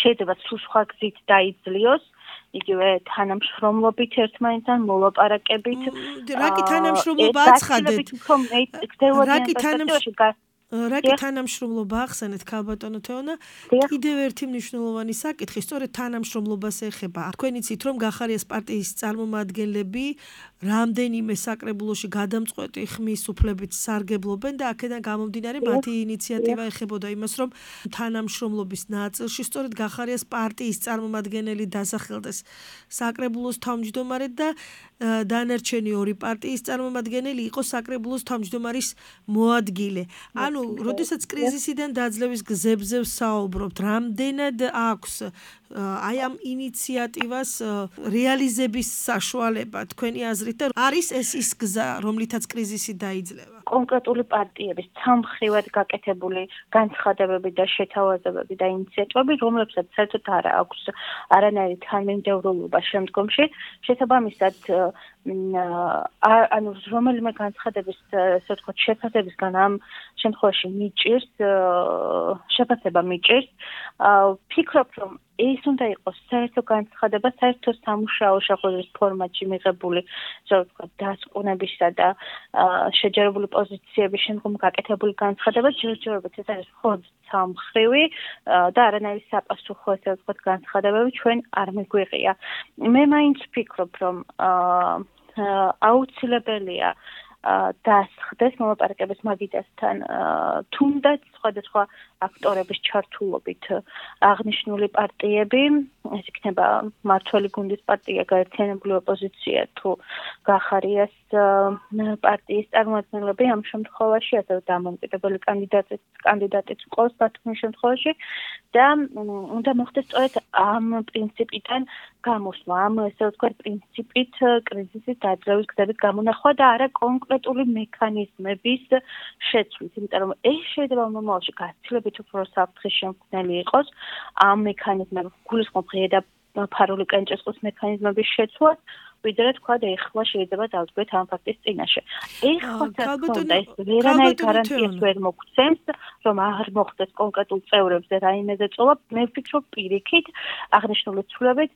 შეიძლება სულ სხვა გზით დაიძლიოს. იგივე თანამშრომლობით ერთმანეთთან მოლაპარაკებით. რაკი თანამშრომლობა აცხადეთ? რაკი თანამშრომლობა ახსენეთ ქალბატონო თეონა? კიდევ ერთი მნიშვნელოვანი საკითხი, სწორედ თანამშრომლობას ეხება. თქვენ იცით, რომ გახარიას პარტიის წარმომადგენლები რამდენიმე საკრებულოში გადამწყვეტი ხმის უფლებით სარგებლობენ და აქედან გამომდინარე მათი ინიციატივა ეხებოდა იმას, რომ თანამშრომლობის ნაწილში სწორედ გახარიას პარტიის წარმომადგენელი დასახელდეს საკრებულოს თავმჯდომარედ და დანარჩენი ორი პარტიის წარმომადგენელი იყო საკრებულოს თავმჯდომარის მოადგილე. ანუ როდესაც კრიზისიდან დაძლევის გზებზე ვსაუბრობთ, რამდენად აქვს აი ამ ინიციატივას რეალიზების საშუალება თქვენი აზრით და არის ეს ის გზა, რომლითაც კრიზისი დაიძლევა? კონკრეტული პარტიების ცალმხრივად გაკეთებული განცხადებები და შეთავაზებები და ინიციატივები, რომლებსაც საერთოდ არ აქვს არანაირი თანმიმდევრულობა შემდგომში, შესაბამისად ანუ რომელიმე განცხადების ასე ვთქვათ შეფასებისგან ამ შემთხვევაში შეფასება მიჭირს. ვფიქრობ, რომ ეს უნდა იყოს საერთო განცხადება, საერთო სამუშაო შეხვედრის ფორმატში მიღებული, ასე ვთქვათ, დასკვნებისა და შეჯერებული პოზიციების შემდგომ გაკეთებული განცხადება, ჯერჯერობით ეს არის მხოლოდ სამმხრივი და არანაირი საპასუხო, ასე ვთქვათ, განცხადებები ჩვენ არ მიგვიღია. მე მაინც ვფიქრობ, რომ აუცილებელია დასხდეს მოლაპარაკების მაგიდასთან თუნდაც სხვადასხვა აქტორების ჩართულობით აღნიშნული პარტიები, ეს იქნება მმართველი გუნდის პარტია, გაერთიანებული ოპოზიცია თუ გახარიას პარტიის წარმომადგენლები ამ შემთხვევაში, ასევე დამოუკიდებელი კანდიდატიც ყავს ბათუმის შემთხვევაში და უნდა მოხდეს სწორედ ამ პრინციპიდან გამოსვლა, ამ ესე ვთქვათ პრინციპით კრიზისის დაძლევის გზებით გამონახვა და არა კონკრეტული მექანიზმების შეცვლით, იმიტომ რომ ეს შეიძლება მომავალში გაცილებით უფრო საფრთხის შემქმნელი იყოს ამ მექანიზმების გულისხმობ ღია და ფარული კენჭისყრის მექანიზმების შეცვლას, ვიდრე თქვა და ეხლა შეიძლება დავდგეთ ამ ფაქტის წინაშე. ეხლა თქონდა ეს ვერანაირ გარანტიას ვერ მოგცემს, რომ არ მოხდეს კონკრეტულ წევრებზე რაიმე ზეწოლა. მე ვფიქრობ პირიქით აღნიშნული ცვლილებით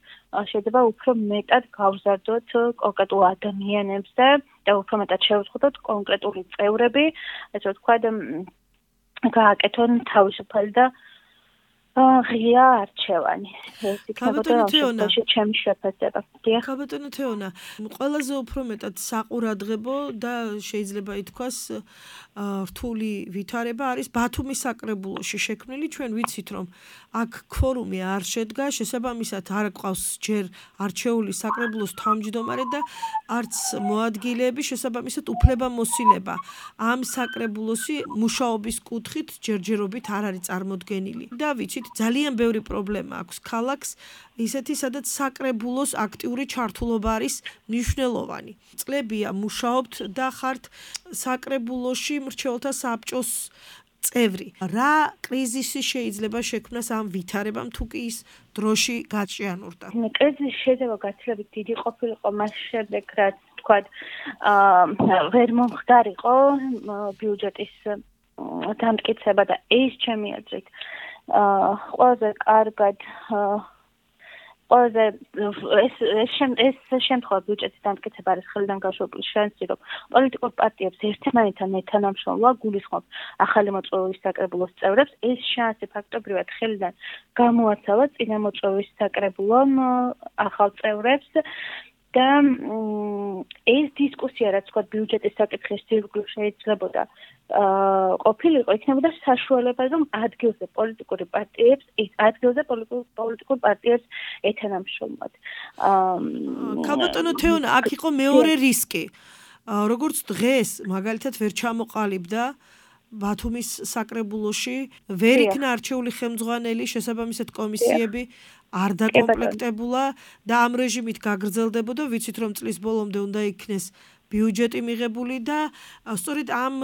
შეიძლება უფრო მეტად გავზარდოთ კონკრეტულ ადამიანებზე და უფრო მეტად შევწყვეტოთ კონკრეტული წევრები, ესე ვთქვათ, გააკეთონ თავისუფალი და ღია არჩევანი. ეს იქნებოდა ჩემი შეფასება. ქაბატონო თეონა, ყველაზე უფრო მეტად საყურადღებო და შეიძლება ითქვას რთული ვითარება არის ბათუმის საკრებულოში შექმნილი. ჩვენ ვიცით, რომ აქ ქორუმი არ შედგა, შესაბამისად არ გვყავს ჯერ არჩეული საკრებულოს თავმჯდომარე და არც მოადგილეები, შესაბამისად უფლებამოსილება. ამ საკრებულოსი მუშაობის კუთხით ჯერჯერობით არ არის წარმოდგენილი. და ვიცით, ძალიან ბევრი პრობლემა აქვს ქალაქს, ისეთი, სადაც საკრებულოს აქტიური ჩართულობა არის მნიშვნელოვანი. წლებია მუშაობთ და ხართ საკრებულოში მრჩეველთა საბჭოს წევრი. რა კრიზისი შეიძლება შექმნას ამ ვითარებამ, თუ კი ის დროში გაჭიანურდა? კრიზისი შეიძლება გაცილებით დიდი ყოფილიყო მას შემდეგ, რაც თქვათ, ვერ მომხდარიყო ბიუჯეტის დამტკიცება და ეს ჩემი აზრით ყველაზე კარგად ეს შემთხვევა ბიუჯეტის დამტკიცება არის ხელიდან გაშვებული შანსი, რომ პოლიტიკურ პარტიებს ერთმანეთთან მეთანამშრომლობა გულისხმობს ახალი მოწვევის საკრებულოს წევრებს. ეს შანსი ფაქტობრივად ხელიდან გამოაცალა წინამოწვევის საკრებულომ ახალ წევრებს და ეს დისკუსია, რაც თქვა ბიუჯეტის საკითხის ირგვლივ შეიძლებოდა ყოფილიყო, იქნებოდა საშუალება, რომ ადგილზე პოლიტიკურ პარტიებს ეთანამშრომლოთ. ქაბატონო თეონა, აქ იყო მეორე რისკი. როგორც დღეს მაგალითად ვერ ჩამოყალიბდა ბათუმის საკრებულოში, ვერ იქნა არჩეული ხელმძღვანელი, შესაბამისად კომისიები არ დაკომპლექტებულა და ამ რეჟიმით გაგრძელდებოდა, ვიცით რომ წლის ბოლომდე უნდა იქნეს ბიუჯეტი მიღებული და სწორედ ამ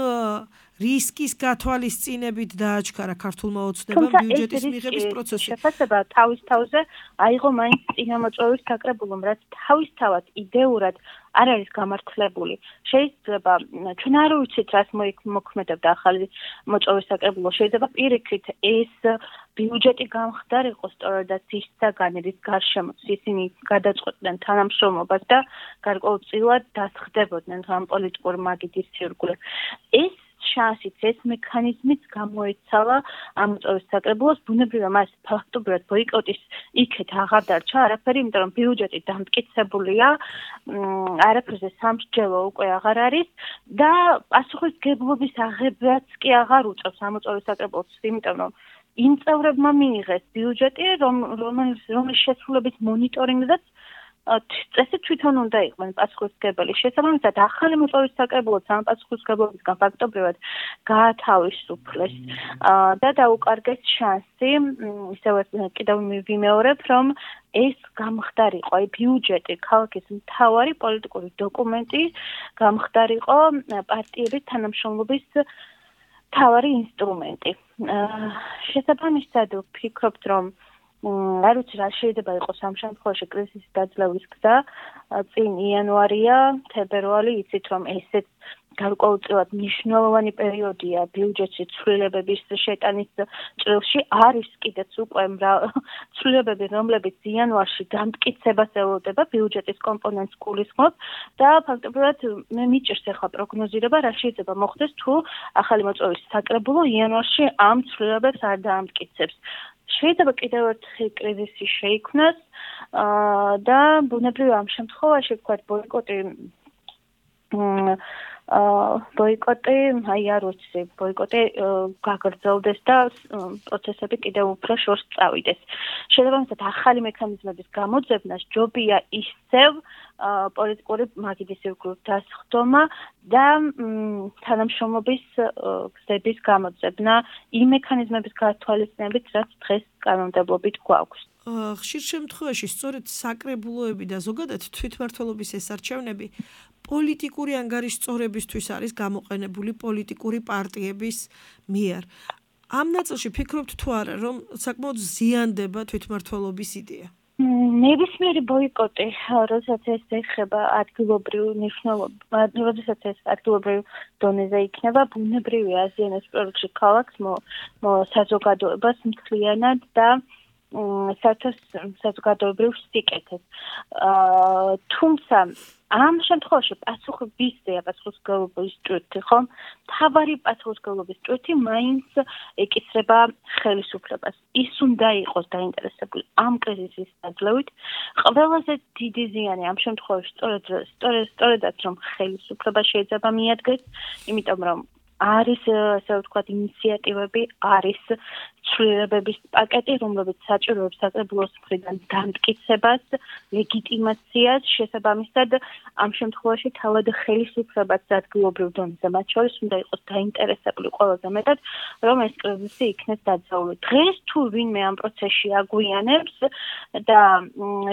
რისკის გათვალისწინებით დააჩქარა ქართულმა ოცნებამ ბიუჯეტის მიღების პროცესი. შეფასება თავის თავზე აიღო მაინც წინამოწვევის საკრებულომ, რაც თავისთავად იდეურად არ არის გამართლებული. შეიძლება ჩვენ არ ვიცით, რას მოქმედებდა ახალი მოწვევის საკრებულო. შეიძლება პირიქით ეს ბიუჯეტი გამხდარიყო სწორედაც ის საგანი, რის გარშემო ისინი გადაწყვეტდნენ თანამშრომლობას და გარკვეულწილად დასხდებოდნენ ამ პოლიტიკურ მაგიდის ირგვლივ. ეს შანსიც, ეს მექანიზმიც გამოეცალა ამ მოწვევის საკრებულოს, ბუნებრივია მას ფაქტობრივად ბოიკოტის იქეთ აღარ დარჩა არაფერი, იმიტომ რომ ბიუჯეტი დამტკიცებულია, არაფერზე სამსჯელო უკვე აღარ არის და პასუხისმგებლობის აღებაც კი აღარ უწევს ამ მოწვევის საკრებულოს, იმიტომ რომ იმ წევრებმა მიიღეს ბიუჯეტი, რომლის შესრულების მონიტორინგზეც წესი თვითონ უნდა იყვნენ პასუხისმგებელი. შესაბამისად, ახალი მოწვევის საკრებულოც ამ პასუხისმგებლობისგან ფაქტობრივად გაათავისუფლეს და დაუკარგეს შანსი, ისევე კიდევ ვიმეორებ, რომ ეს გამხდარიყო, აი ბიუჯეტი, ქალაქის მთავარი პოლიტიკური დოკუმენტი, გამხდარიყო პარტიების თანამშრომლობის მთავარი ინსტრუმენტი. შესაბამისად, ვფიქრობთ, რომ არ ვიცი რა შეიძლება იყოს ამ შემთხვევაში კრიზისის დაძლევის გზა. წინ იანვარია, თებერვალი, იცით რომ ესეც გარკვეულწილად მნიშვნელოვანი პერიოდია ბიუჯეტში ცვლილებების შეტანის წრეში. არის კიდეც უკვე ცვლილებები, რომლებიც იანვარში დამტკიცებას ელოდება, ბიუჯეტის კომპონენტს გულისხმობს და ფაქტობრივად მე მიჭირს ახლა პროგნოზირება, რა შეიძლება მოხდეს თუ ახალი მოწვევის საკრებულო იანვარში ამ ცვლილებებს არ დაამტკიცებს. შეიძლება კიდევ ერთი კრიზისი შეიქმნას და ბუნებრივია ამ შემთხვევაში ვთქვათ ბოიკოტი, აი არ ვიცი, ბოიკოტი გაგრძელდეს და პროცესები კიდევ უფრო შორს წავიდეს. შესაბამისად, ახალი მექანიზმების გამოძებნა ჯობია ისევ პოლიტიკური მაგიდის ირგვლივ დასხდომა და თანამშრომლობის გზების გამოძებნა იმ მექანიზმების გათვალისწინებით, რაც დღეს კანონმდებლობით გვაქვს. ხშირ შემთხვევაში სწორედ საკრებულოები და ზოგადად თვითმმართველობის ეს არჩევნები პოლიტიკური ანგარიშწორებისთვის არის გამოყენებული პოლიტიკური პარტიების მიერ. ამ ნაწილში ფიქრობთ თუ არა, რომ საკმაოდ ზიანდება თვითმმართველობის იდეა? ნებისმიერი ბოიკოტი, როდესაც ეს ეხება ადგილობრივ მნიშვნელობას, როდესაც ეს ადგილობრივ დონეზე იქნება, ბუნებრივია აზიანებს პროექტში ქალაქს, საზოგადოებას მთლიანად და საზოგადოებრივ სიკეთეს. თუმცა ამ შემთხვევაში პასუხისმგებლობისა პასუხისმგებლობის ჭრითი ხომ თავარი პასუხისმგებლობის ჭრითი მაინც ეკისრება ხელისუფლებას. ის უნდა იყოს დაინტერესებული ამ კრიზისის დაძლევით. ყველაზე დიდი ზიანი ამ შემთხვევაში სწორედაც რომ ხელისუფლება შეიძლება მიადგეს, იმიტომ რომ არის ასე ვთქვათ ინიციატივები, არის ცვლილებების პაკეტი, რომლებიც საჭიროებს საკრებულოს მხრიდან დამტკიცებას, ლეგიტიმაციას, შესაბამისად ამ შემთხვევაში თავად ხელისუფლებაც ადგილობრივ დონეზე მათ შორის უნდა იყოს დაინტერესებული ყველაზე მეტად, რომ ეს კრიზისი იქნეს დაძლეული. დღეს თუ ვინმე ამ პროცესში აგვიანებს და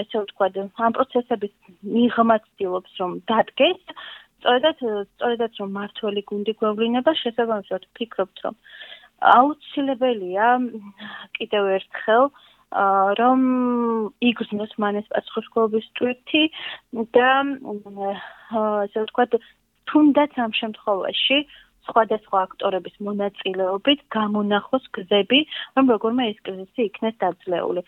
ასე ვთქვათ ამ პროცესების მიღმა ცდილობს რომ დადგეს, სწორედაც რომ მართველი გუნდი გვევლინება, შესაბამისად ვფიქრობთ, რომ აუცილებელია კიდევ ერთხელ რომ იგრძნოს მან ეს პასუხისმგებლობის ჭრითი და ასე ვთქვათ, თუნდაც ამ შემთხვევაში სხვადასხვა აქტორების მონაწილეობით გამონახოს გზები, რომ როგორმე ეს კრიზისი იქნეს დაძლეული.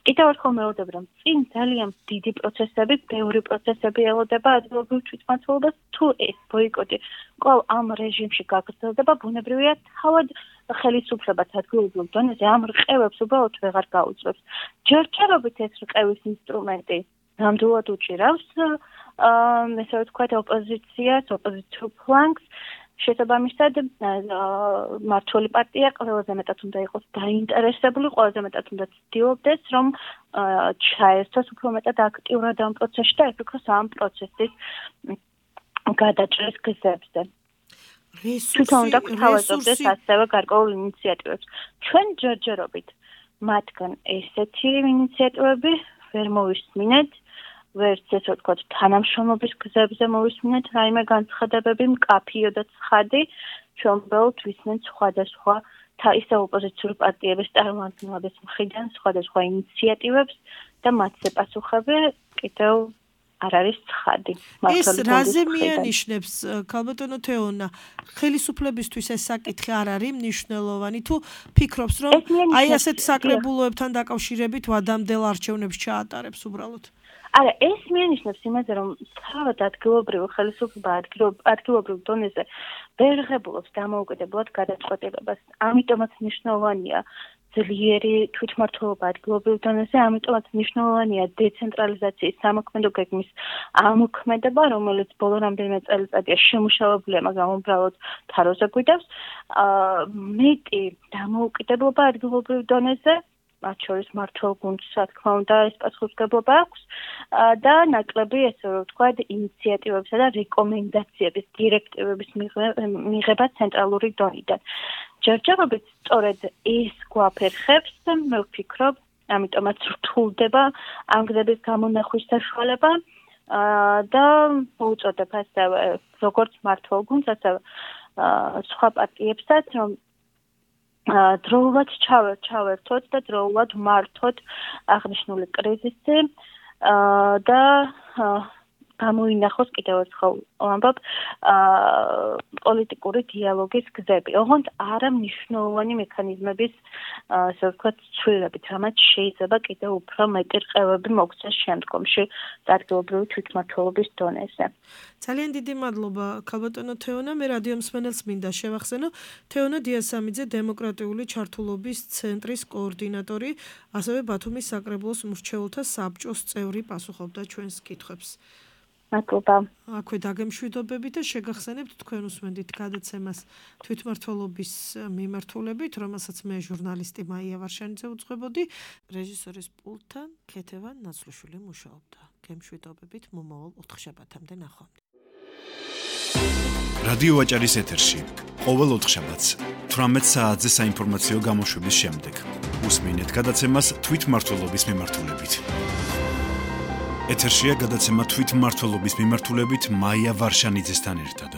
კიდევ ერთხელ მეუბნები, რომ წინ ძალიან დიდი პროცესები, ბევრი პროცესები ელოდება ადგილობრივ თვითმმართველობას, თუ ეს ბოიკოტი კვლავ ამ რეჟიმში გაგრძელდება, ბუნებრივია თავად ხელისუფლებას ადგილობრივ დონეზე ამ რყევებს უბრალოდ ვეღარ გაუძლებს. ჯერჯერობით ეს რყევის ინსტრუმენტი ნამდვილად უჭირავს ესე ვთქვათ ოპოზიციას, ოპოზიციურ ფლანგს, შესაბამისად მმართველი პარტია ყველაზე მეტად უნდა იყოს დაინტერესებული, ყველაზე მეტად უნდა ცდილობდეს, რომ ჩაერთოს უფრო მეტად აქტიურად ამ პროცესში და იფიქროს ამ პროცესის გადაჭრის გზებზე. თვითონ უნდა გვთავაზობდეს ასევე გარკვეულ ინიციატივებს. ჩვენ ჯერჯერობით მათგან ესეთი ინიციატივები ვერ მოვისმინეთ, ვერც ესე ვთქვათ თანამშრომლობის გზებზე მოვისმინეთ რაიმე განცხადებები მკაფიო და ცხადი, ჩვენ უბრალოდ ვისმენთ სხვადასხვა ისე ოპოზიციური პარტიების წარმომადგენლების მხრიდან სხვადასხვა ინიციატივებს და მათზე პასუხები კიდევ არ არის ცხადი. ეს რაზე მიანიშნებს ქალბატონო თეონა, ხელისუფლებისთვის ეს საკითხი არ არის მნიშვნელოვანი, თუ ფიქრობს რომ აი ასეთ საკრებულოებთან დაკავშირებით ვადამდელ არჩევნებს ჩაატარებს უბრალოდ? არა, ეს მიანიშნებს იმაზე, რომ თავად ადგილობრივ ხელისუფლება ადგილობრივ დონეზე ვერ ღებულობს დამოუკიდებლად გადაწყვეტილებას. ამიტომაც მნიშვნელოვანია ძლიერი თვითმმართველობა ადგილობრივ დონეზე, ამიტომაც მნიშვნელოვანია დეცენტრალიზაციის სამოქმედო გეგმის ამოქმედება, რომელიც ბოლო რამდენიმე წელიწადია შემუშავებულია, მაგრამ უბრალოდ თაროზე გვიდევს. მეტი დამოუკიდებლობა ადგილობრივ დონეზე, მათ შორის მმართველ გუნდს, რა თქმა უნდა, ეს პასუხისმგებლობა აქვს და ნაკლები, ესე ვთქვათ, ინიციატივებსა და რეკომენდაციების, დირექტივების მიღება ცენტრალური დონიდან. ჯერჯერობით სწორედ ეს გვაფერხებს, მე ვფიქრობ, ამიტომაც რთულდება ამ გზების გამონახვის საშუალება და მოუწოდებ ასევე როგორც მმართველ გუნდს, ასევე სხვა პარტიებსაც, რომ დროულად ჩავერთოთ და დროულად ვმართოთ აღნიშნული კრიზისი და გამოინახოს კიდევ ერთხელ ვამბობ პოლიტიკური დიალოგის გზები. ოღონდ არა მნიშვნელოვანი მექანიზმების ასე ვთქვათ ცვლილებით, რამაც შეიძლება კიდევ უფრო მეტი რყევები მოგცეს შემდგომში ადგილობრივი თვითმმართველობის დონეზე. ძალიან დიდი მადლობა ქალბატონო თეონა, მე რადიო მსმენელს მინდა შევახსენო, თეონა დიასამიძე დემოკრატიული ჩართულობის ცენტრის კოორდინატორი, ასევე ბათუმის საკრებულოს მრჩეველთა საბჭოს წევრი პასუხობდა ჩვენს კითხვებს. მადლობა. აქვე დაგემშვიდობებით და შეგახსენებთ თქვენ უსმენდით გადაცემას თვითმმართველობის მიმართულებით, რომელსაც მე ჟურნალისტი მაია ვარშანიძე უძღვებოდი, რეჟისორის პულტთან ქეთევან ნაცვლიშვილი მუშაობდა. გემშვიდობებით მომავალ ოთხშაბათამდე ნახვამდის. რადიო ვაჭარის ეთერში ყოველ ოთხშაბათს 18 საათზე საინფორმაციო გამოშვების შემდეგ უსმენთ გადაცემას თვითმმართველობის მიმართულებით. ეთერშია გადაცემა თვითმმართველობის მიმართულებით მაია ვარშანიძესთან ერთად.